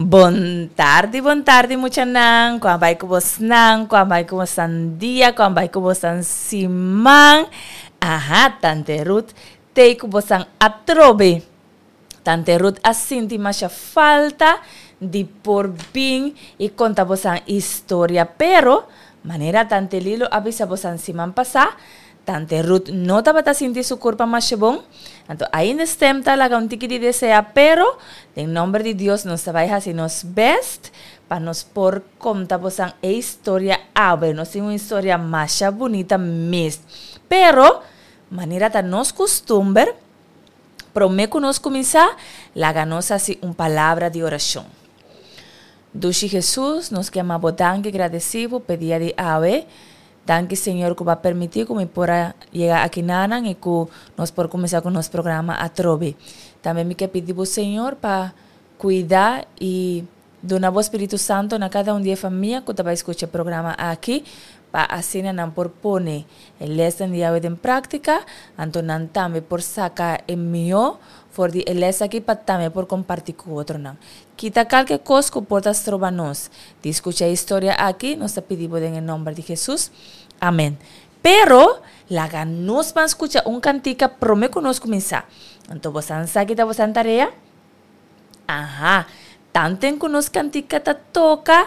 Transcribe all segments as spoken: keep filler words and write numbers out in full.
Bon tardi, bon tardi, muchanan. Kon a bai ku bosnan? Kon a bai ku bosnan dia? Kon a bai ku bosnan siman? Aha, Tante Ruth tei ku bosnan atrobe. Tante Ruth a sinti masha falta di por bin i konta bosnan historia, pero manera Tante Lilo a bisa bosnan siman pasá, Tante Ruth no tabata sinti su kurpa masha bon, anto ainda stem ta laga un tiki di desea, pero den nomber di Dios nos ta bai hasi nos best pa nos por konta bosan e historia awe. Nos tin un historia masha bunita mes. Pero, manera ta nos kustumber, promé ku nos kuminsá, laga nos hasi un palabra di orashon. Dushi Jesus, nos ke ama bo danki, gradesí bo p'e dia di awe. Danki Señor ku bo a permití ku mi por a yega aki nanan i ku nos por kuminsá ku nos programa atrobe. Tambe mi ke pidi bo Señor pa kuida i duna bo Spiritu Santo na kada un di e famia ku ta bai skucha e programa aki pa asina nan por pone e lèsnan di Yahweh den práktika, anto nan tambe por saka e mihó for di e lès aki pa tambe por kompartí ku otronan. Kita kalke kos ku por ta stroba nos di skucha e historia aki, nos ta pidi bo den e nòmber di Hesus. Amèn. Pero, laga nos ban skucha un kantika promé ku nos kuminsá. Anto bosan sa ki ta bosan tarea? Aha, tanten ku nos kantika ta toka,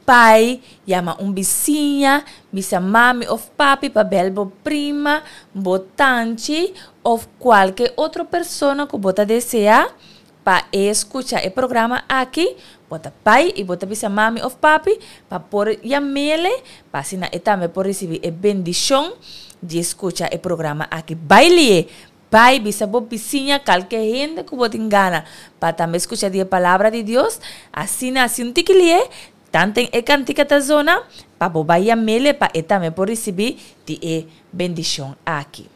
Pai, yama un bisiña, bisa mami of papi pa bel bo prima, bo tanchi of kualke otro persona ku bo ta deseá pa e skucha e programa aki, bo ta bai i bo ta bisa mami of papi pa por yam'ele pa asina e tambe por risibí e bendishon di skucha e programa aki. Bai li'e! Bai bisa bo bisiña kalke hende ku bo tin gana pa tambe skucha di e Palabra di Dios, asina hasi un tiki li'e. Tanten e kantika ta zona, pa bo bai yam'ele pa e tambe por risibí di e bendishon aki.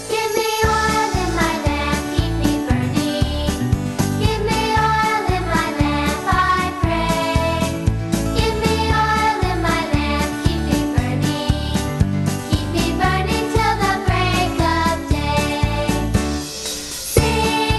Give me oil in my lamp, keep me burning. Give me oil in my lamp, I pray. Give me oil in my lamp, keep me burning. Keep me burning till the break of day. Sing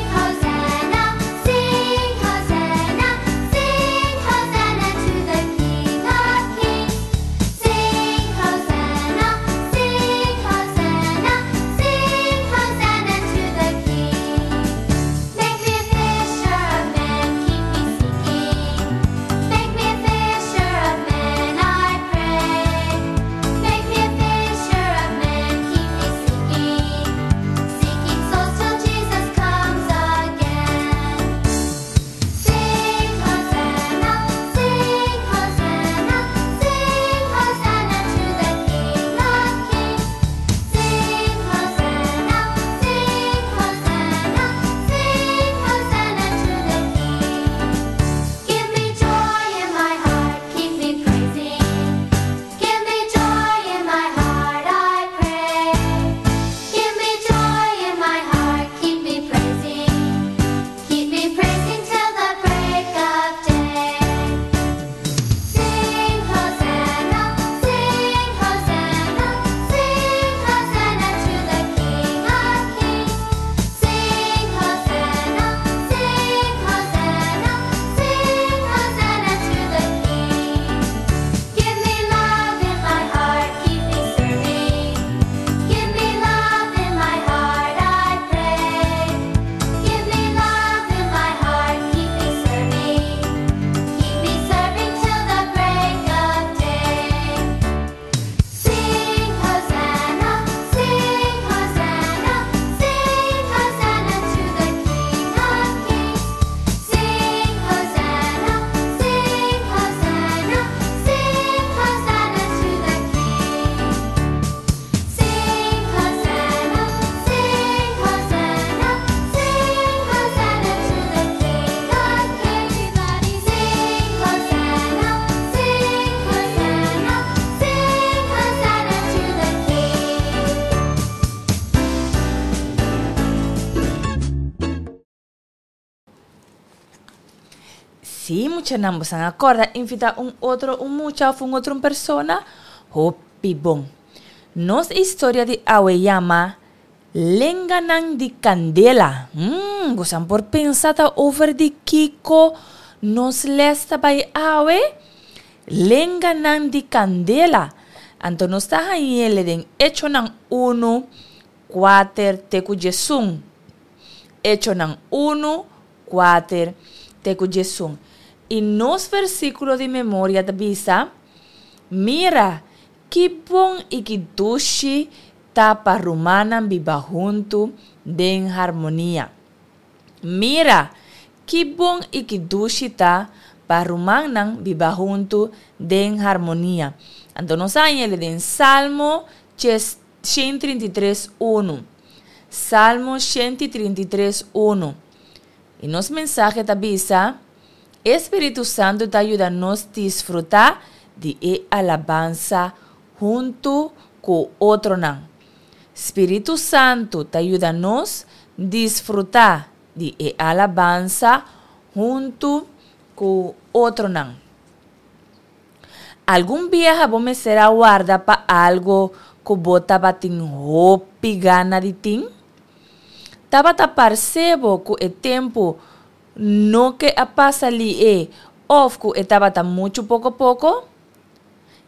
Sí, muchanan, boso a kòrda invitá un otro un mucha òf un otro un persona? Hopi bon. Nos historia di awe yama Lenganan di Kandela. Hmm, boso por pensa ta over di kiko nos les ta bai awe? Lenganan di Kandela. Anto nos ta hañ'é den Echonan unu, kuater te ku diesun. Echonan unu, kuater te ku diesun. I nos versíkulo di memoria ta bisa: Mira, ki bon i ki dushi ta pa rumannan biba huntu den harmonia. Mira, ki bon i ki dushi ta pa rumannan biba huntu den harmonia. Anto nos a hañ'é den Salmo shen trinta i tres, unu. Salmo shen trinta i tres, unu. I nos mensahe ta bisa: E Spiritu Santu ta yuda nos disfrutá di e alabansa huntu ku otronan. Spiritu Santu ta yuda nos disfrutá di e alabansa huntu ku otronan. Algun biaha bo mester a warda pa algu ku bo tabatin hopi gana di tin? Tabata parse bo ku e tempu no ke a pasa lié òf ku e tabata muchu poko poko?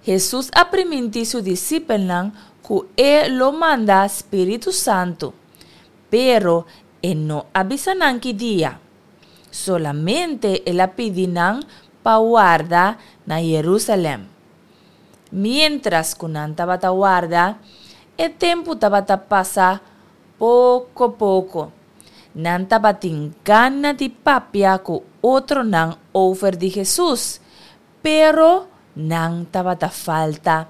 Hesus a primintí su disipelnan ku e lo manda spiritu santu, pero e no a bisa nan ki dia. Solamente el a pidi nan pa warda na Yerusalèm. Miéntras ku nan tabata warda, e tempu tabata pasa poko poko. Nan tabatin gana di papia ku otronan over di Hesus, pero nan tabata falta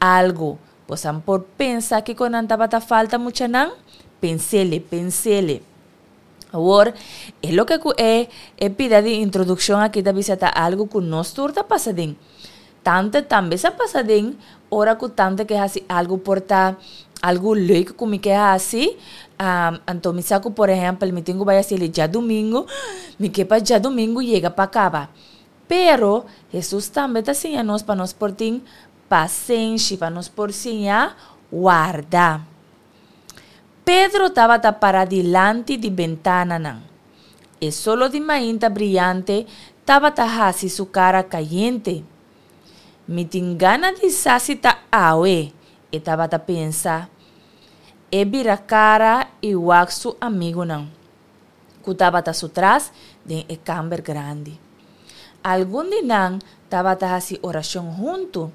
algu. Boso por pensa kiko nan tabata falta, muchanan? Pens'é, pens'é. Awor, e loke ku e e pida di introdukshon aki ta bisa ta algu ku nos tur ta pasa den. Tante tambe sa pasa den ora ku tante ke hasi algu por ta algu leuk ku mi ke hasi, um, anto mi sa ku por ehèmpel mi tin ku bai hasi djadumingu, mi ke pa djadumingu yega pa kaba. Pero Hesus tambe ta siña nos pa nos por tin pasenshi, pa nos por siña warda. Pedro tabata pará dilanti di bentananan. E solo di mainta briante tabata hasi su kara kayente. Mi tin gana di sa si ta awe, e tabata pensa. E bira kara i wak su amigunan, ku tabata su tras den e kamber grandi. Algun di nan tabata hasi orashon huntu.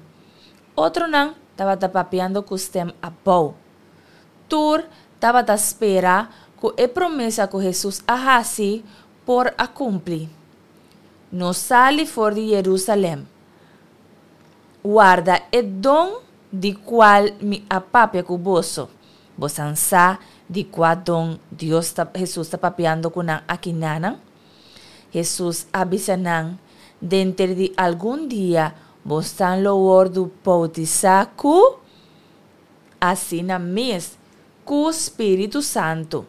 Otronan tabata papiando ku stèm abou. Tur tabata spera ku e promesa ku Hesus a hasi por a kumpli. No sali for di Yerusalèm. Warda e don di kual mi a papia ku boso. Boso sa di kua don Dios ta, Hesus ta papiando ku nan akinanan? Hesus a bisa nan: Denter di algun dia boso lo wòrdu boutisá ku asina mes ku Spiritu Santu.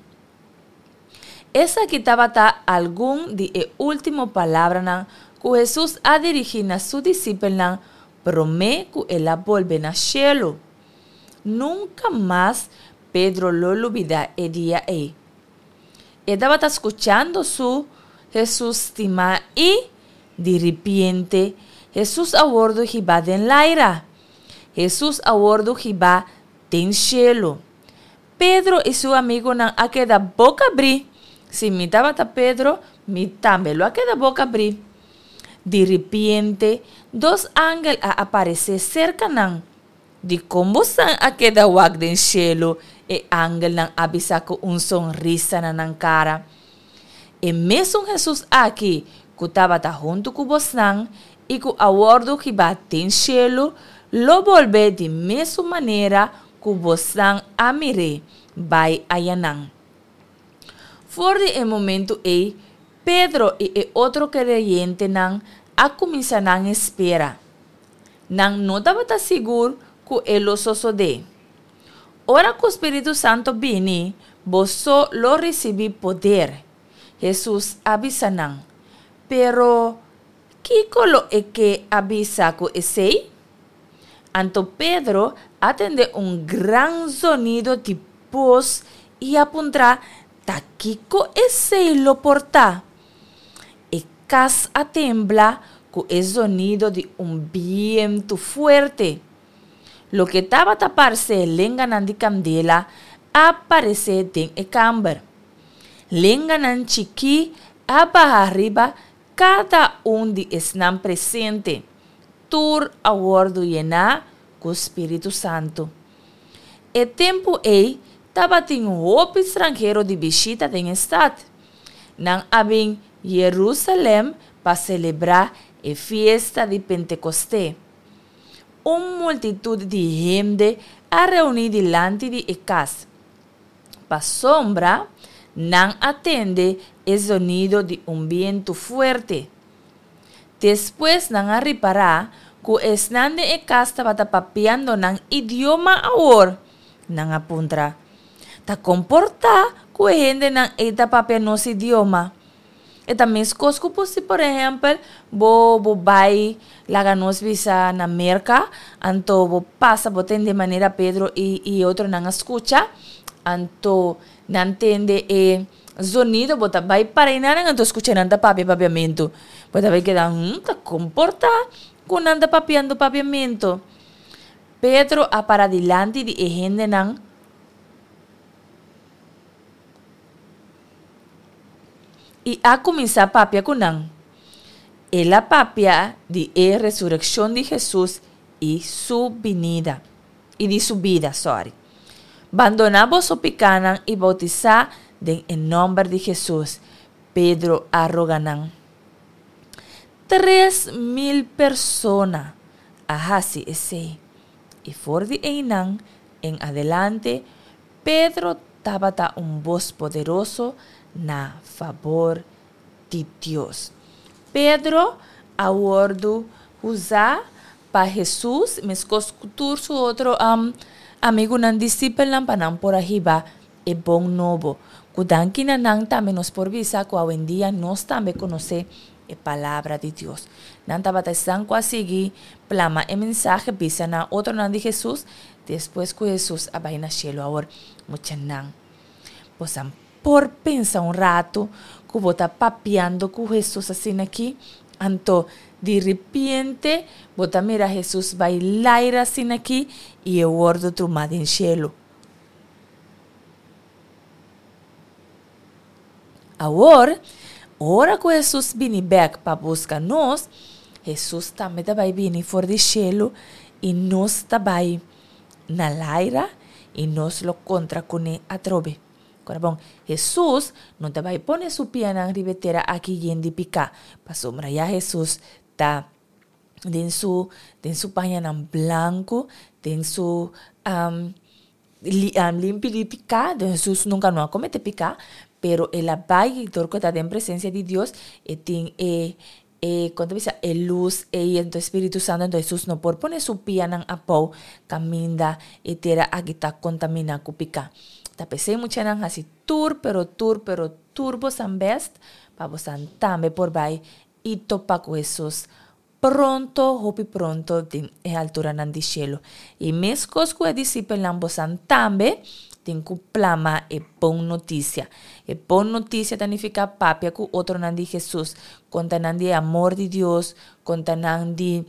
Esaki tabata algun di e último palabranan ku Hesus a dirigí na su disipelnan promé ku el a bolbe na shelu. Nunka mas Pedro lo lubidá e dia ei. E tabata skuchando su Hesus stimá i, di ripiente, Hesus a wòrdu hibá den laira. Hesus a wòrdu hibá den shelu. Pedro i su amigunan a keda boka abrí. Si mi tabata Pedro, mi tambe lo a keda boka abrí. Di ripiente, dos angel a aparesé serka nan. Dikon boso a keda wak den shelu? E angelnan a bisa ku un sonrisa na nan kara. E mesun Hesus aki ku tabata huntu ku bosnan i ku a wòrdu hibá den shelu, lo bolbe di mesun manera ku bosnan a mir'é bai ayanan. For di e momentu ei, Pedro i e otro kreyentenan a kuminsá nan espera. Nan no tabata sigur ku e lo sosodé. Ora ku Spiritu Santu bini, boso lo risibí poder, Hesus a bisa nan. Pero Kiko lo e ke a bisa ku esei? Anto Pedro a tende un gran zonido di bos i a puntra, Ta kiko esei lo por ta? E kas a tembla ku e zonido di un bientu fuerte. Loke tabata parse lenganan di kandela a paresé den e kamber. Lenganan chikí a baha riba kada un di esnan presente. Tur a wòrdu yená ku spiritu santu. E tempu ei tabatin hopi stranhero di bishita den e stat. Nan a bin Yerusalèm pa selebrá e fiesta di Pentekosté. Un multitut di hende a reuní dilanti di e kas, pasobra nan a tende e zonido di un bientu fuerte. Despues nan a ripará ku esnan den e kas tabata papiando nan idioma awor. Nan a puntra, Ta kon por ta ku e hendenan ei ta papia nos idioma? E ta meskos ku por si por ehèmpel bo bo bai laga nos bisa na Merka, anto bo pasa bo tende manera Pedro i i e otronan a skucha, anto nan tende e zonido, bo ta bai para einan anto skucha nan ta papia papiamentu. Bo ta bai keda, Hm, ta kon por ta ku nan ta papiando papiamentu? Pedro a para dilanti di e hendenan i a kuminsá papia ku nan. El a papia di e resurekshon di Hesus i su binida, i di su bida, sòri. Bandoná boso pikánan i boutisá den e nòmber di Hesus, Pedro a roga nan. Tres mil persona a hasi esei, i for di einan en adelante Pedro tabata un bos poderoso na fabor di Dios. Pedro a wòrdu usá pa Hesus, meskos ku tur su otro amigunan disipelnan, pa nan por a hiba e bon nobo. Ku danki na nan tambe nos por bisa ku awendia nos tambe konosé e Palabra di Dios. Nan tabata esnan ku a sigui plama e mensahe, bisa na otronan di Hesus, despues ku Hesus a bai na shelu. Awor, muchanan, bosan por pensa un ratu ku bo ta papiando ku Hesus asina aki? Anto, di ripiente, bo ta mira Hesus bai laira asina aki i e wòrdu trumá den shelu. Awor, ora ku Hesus bini bèk pa buska nos, Hesus tambe ta bai bini for di shelu i nos ta bai na laira i nos lo kontra kuné atrobe. Kora bon, Hesus no ta bai pone su pianan riba e tera aki yen di piká, pasobra ya Hesus ta den su den su pañanan blanku, den su limpi di piká. Hesus nunka no a komete piká, pero el a bai dor ku e ta den presensia di Dios, e tin e e kon ta bisa e lus ei, enton e Spiritu Santu, enton Hesus no por pone su pianan abou kaminda e tera aki ta kontaminá ku piká. Ta p'esei muchanan hasi tur pero tur pero tur bosan bèst pa bosan tambe por bai i topa ku Hesus pronto, hopi pronto den e alturanan di shelu. I meskos ku e disipelnan bosan tambe tin ku plama e bon notisia. E bon notisia ta nifiká papia ku otronan di Hesus, konta nan di e amor di Dios, konta nan di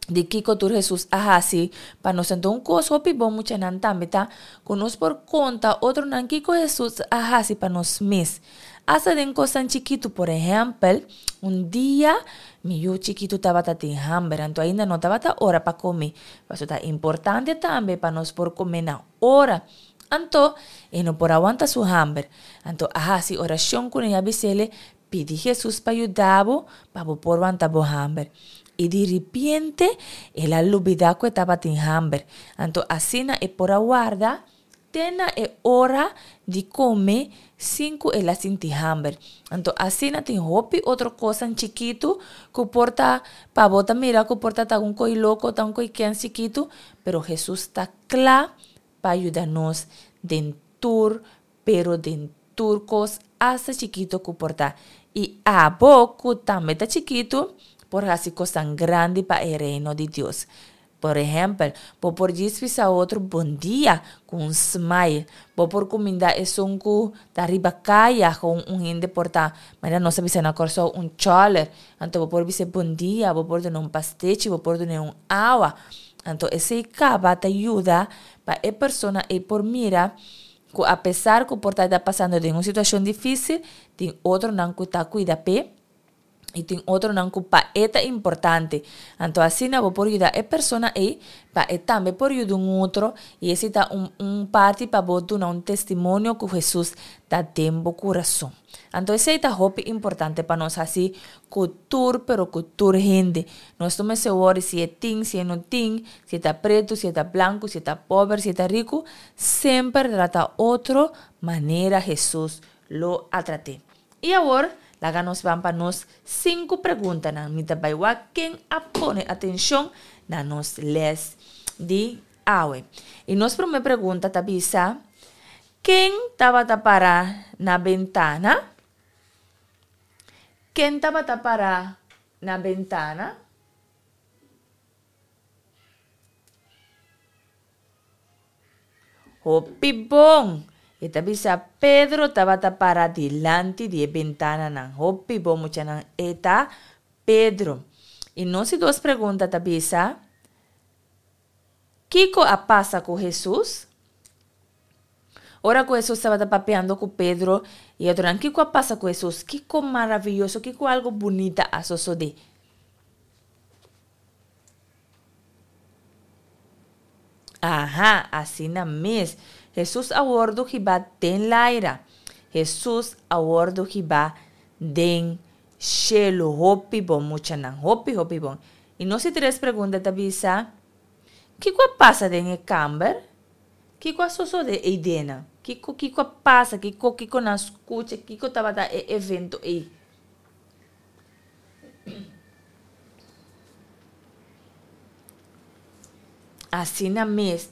di kiko tur Hesus a hasi pa nos. Anto un kos hopi bon muchanan tambe ta ku nos por konta otronan kiko Hesus a hasi pa nos mes. Asta den kosnan chikitu, por ehèmpel, un dia mi yu chikitu tabata tin hamber, anto ainda no tabata ora pa kome. Pasobra ta importante tambe pa nos por kome na ora. Anto e no por a wanta su hamber. Anto a hasi orashon kuné i a bis'é, Pidi Hesus pa yuda bo pa bo por wanta bo hamber. I di ripiente el a lubidá ku e tabatin hamber. Anto asina e por a warda te na e ora di kome sin ku el a sinti hamber. Anto asina tin hopi otro kosnan chikitu ku por ta pa bo ta mira ku por ta ta un koi loko, ta un koi kens chikitu, pero Hesus ta kla pa yuda nos den tur, pero den tur kos, asta chikitu ku por ta. I abo ku tambe ta chikitu, por hasi kosnan grandi pa e reino di Dios. Por ehèmpel, bo por djis bisa otro bon dia ku un smile. Bo por kumindá esun ku ta riba kaya ku un hende por ta, manera nos a bisa na Kòrsou, un chòler. Anto bo por bis'é bon dia, bo por dun'é un pastechi, bo por dun'é un awa. Anto esei kaba ta yuda pa e persona ei por mira ku apesar ku por ta e ta pasando den un situashon difísil, tin otronan ku ta kuida p'e i tin otronan ku pa e ta importante. Anto asina bo por yuda e persona ei pa e tambe por yuda un otro i esei ta un un parti pa bo duna un testimonio ku Hesus ta den bo kurason. Anto esei ta hopi importante pa nos hasi ku tur pero ku tur hende. Nos no mester wòri si e tin, si e no tin, si e ta pretu, si e ta blanku, si e ta pober, si e ta riku, semper trata otro manera Hesus lo a trat'é. I awor, laga nos ban pa nos sinku preguntanan. Mi ta bai wak ken a pone atenshon na nos lès di awe. I nos promé pregunta ta bisa, Ken tabata para na bentana? Ken tabata para na bentana? Hopi bon! E ta bisa Pedro tabata para dilanti di e bentananan. Hopi bon muchanan, e ta Pedro. I nos di dos pregunta ta bisa, Kiko a pasa ku Hesus? Ora ku Hesus tabata papiando ku Pedro i otronan, kiko a pasa ku Hesus? Kiko maravioso, kiko algu bunita a sosodé? Aha, asina mes. Hesus a wòrdu hibá den laira. Hesus a wòrdu hibá den shelu. Hopi bon, muchanan. Hopi, hopi bon. I nos di tres pregunta ta bisa, Kiko a pasa den e kamber? Kiko a sosodé eidenan? Kiko, kiko a pasa? Kiko, kiko nan skucha? Kiko tabata e evento ei? Asina mes,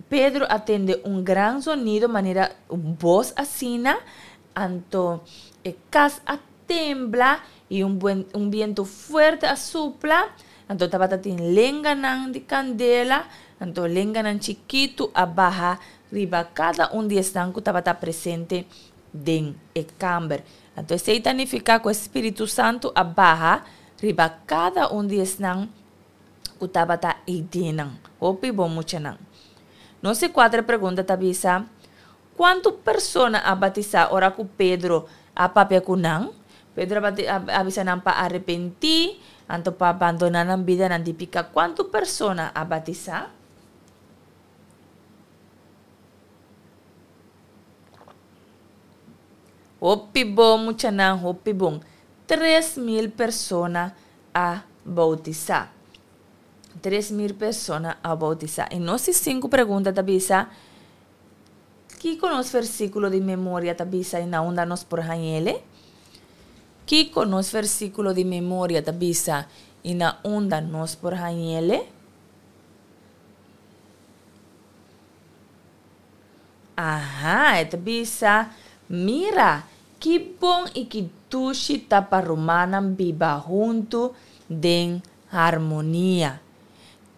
Pedro a tende un gran zonido manera un bos asina, anto e kas a tembla i un buen un bientu fuerte a supla, anto tabata tin lenganan di kandela, anto lenganan chikitu a baha riba kada un di esnan ku tabata presente den e kamber. Anto esei ta nifiká ku e spiritu santu a baha riba kada un di esnan ku tabata eidenan. Hopi bon muchanan. Nos di kuater pregunta ta bisa, Kuantu persona a batisá ora ku Pedro a papia ku nan? Pedro a a bisa nan pa arepentí, anto pa bandoná nan bidanan di piká. Kuantu persona a batisá? Hopi bon muchanan, hopi bon. Tres mil persona a boutisá. Tres mil persona a boutisá. I nos di sinku pregunta ta bisa, Kiko nos versíkulo di memoria ta bisa i na unda nos por hañ'ele? Kiko nos versíkulo di memoria ta bisa i na unda nos por hañ'ele? Aha, e ta bisa, Mira, ki bon i ki dushi ta pa rumannan biba huntu den harmonia!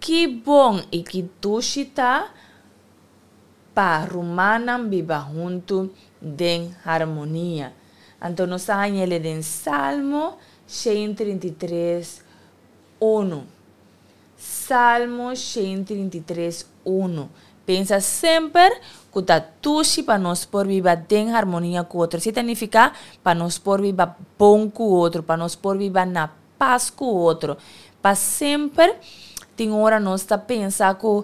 Ki bon i ki dushi ta pa rumannan biba huntu den harmonia! Anto nos ta hañ'el den Salmo shen trinta i tres, unu. Salmo shen trinta i tres, unu. Pensa semper ku ta tushi pa nos por biba den harmonia ku otro. Esei ta nifiká pa nos por biba bon ku otro, pa nos por biba na pas ku otro. Pa semper tin ora nos ta pensa ku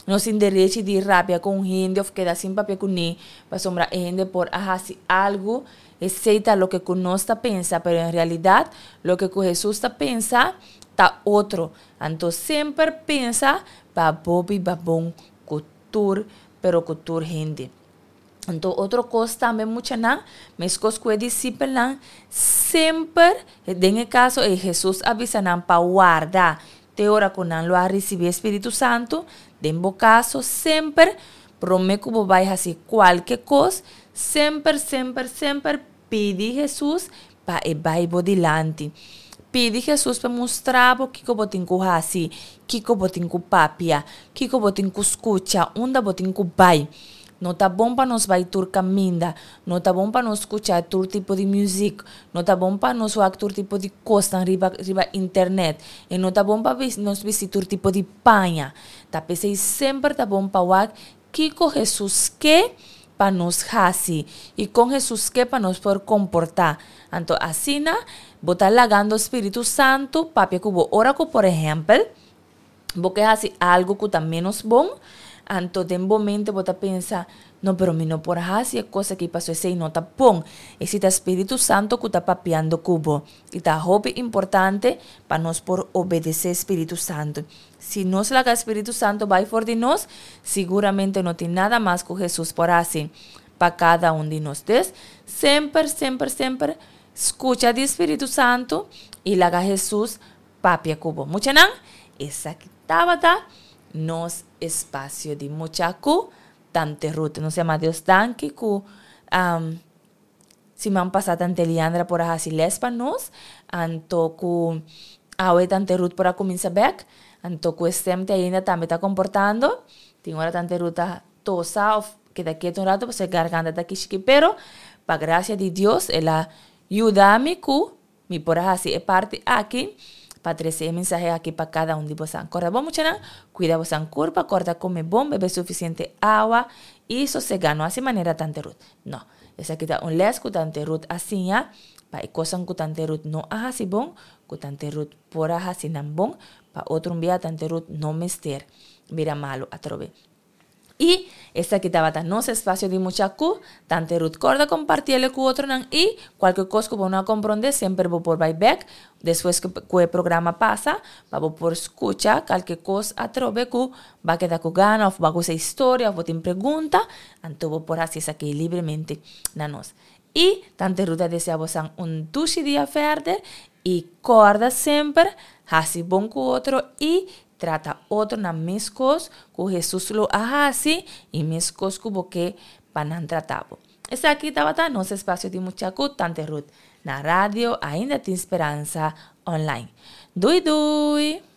nos tin derechi di rabia ku un hende òf keda sin papia kuné pasobra e hende por a hasi algu. Esei ta loke ku nos ta pensa, pero en realidat loke ku Hesus ta pensa ta otro. Anto semper pensa pa bo biba bon ku tur, pero ku tur hende. Anto otro kos tambe muchanan, meskos ku e disipelnan, semper, den e kaso ei Hesus a bisa nan pa warda te ora ku nan lo a risibí e spiritu santu, den bo kaso semper promé ku bo bai hasi kualke kos, semper, semper, semper pidi Hesus pa e bai bo dilanti. Pidi Jesus pa mustra bo kiko bo tin ku hasi, kiko bo tin ku papia, kiko bo tin ku skucha, unda bo tin ku bai. No ta bon pa nos bai tur kaminda, no ta bon pa nos skucha tur tipo di muzik, no ta bon pa nos wak tur tipo di kosnan riba riba internet, i no ta bon pa nos bisti tur tipo di paña. Ta p'esei semper ta bon pa wak kiko Jesus ke pa nos hasi i kon Jesus ke pa nos por komportá. Anto asina bo ta lagando Spiritu Santu papia ku bo. Ora ku por ehèmpel bo ke hasi algu ku ta ménos bon, anto den bo mente bo ta pensa, No, pero mi no por hasi e kos aki pasobra esei no ta bon. Esei ta Spiritu Santu ku ta papiando ku bo. I ta hopi importante pa nos por obedesé Spiritu Santu. Si nos laga Spiritu Santu bai for di nos, siguramente no tin nada mas ku Hesus por hasi pa kada un di nos. Dus, semper, semper, semper skucha di Spiritu Santu i laga Hesus papia ku bo. Muchanan, esaki tabata nos espasio di mucha ku Tante Ruth. Nos yama Dios danki ku um, siman pasá Tante Liandra por a hasi les pa nos, anto ku awe Tante Ruth por a kuminsá bèk, anto ku e stem te ainda tambe ta komportando. Tin ora Tante Ruth ta tosa òf keda ketu un ratu pasobra e garganta ta kishiki, pero pa grasia di Dios el a yuda mi ku Mi por a hasi e parti aki pa trese e mensahe aki pa kada un di bosan. Kòrda bon muchanan, kuida bosan kurpa, kòrda kome bon, bebe sufisiente awa i sosegá. No hasi manera Tante Ruth. No. Esaki ta un lès ku Tante Ruth a siña pa e kosnan ku Tante Ruth no a hasi bon, ku Tante Ruth por a hasi nan bon, pa otro un bia Tante Ruth no mester bira malu atrobe. I esaki tabata nos espacio di mucha cu Tante Ruth. Corda compartiele cu otronan y cualke cos cu bo no a compronde semper bo por bay bek despues cu e programa pasa pa bo por scucha calke cos atrobe cu ba keda cu gana of bo a gusta e historia of bo tin pregunta anto bo por haci esaki libremente na nos. Y Tante Ruth a desea bosan un dushi dia verder y corda semper haci bon cu otro y Trata otronan meskos ku Hesus lo a hasi i meskos ku bo ke pa nan trata bo. Esaki tabata nos espasio di mucha ku Tante Ruth na Radio Ainda Tin Speransa Online. Dui dui!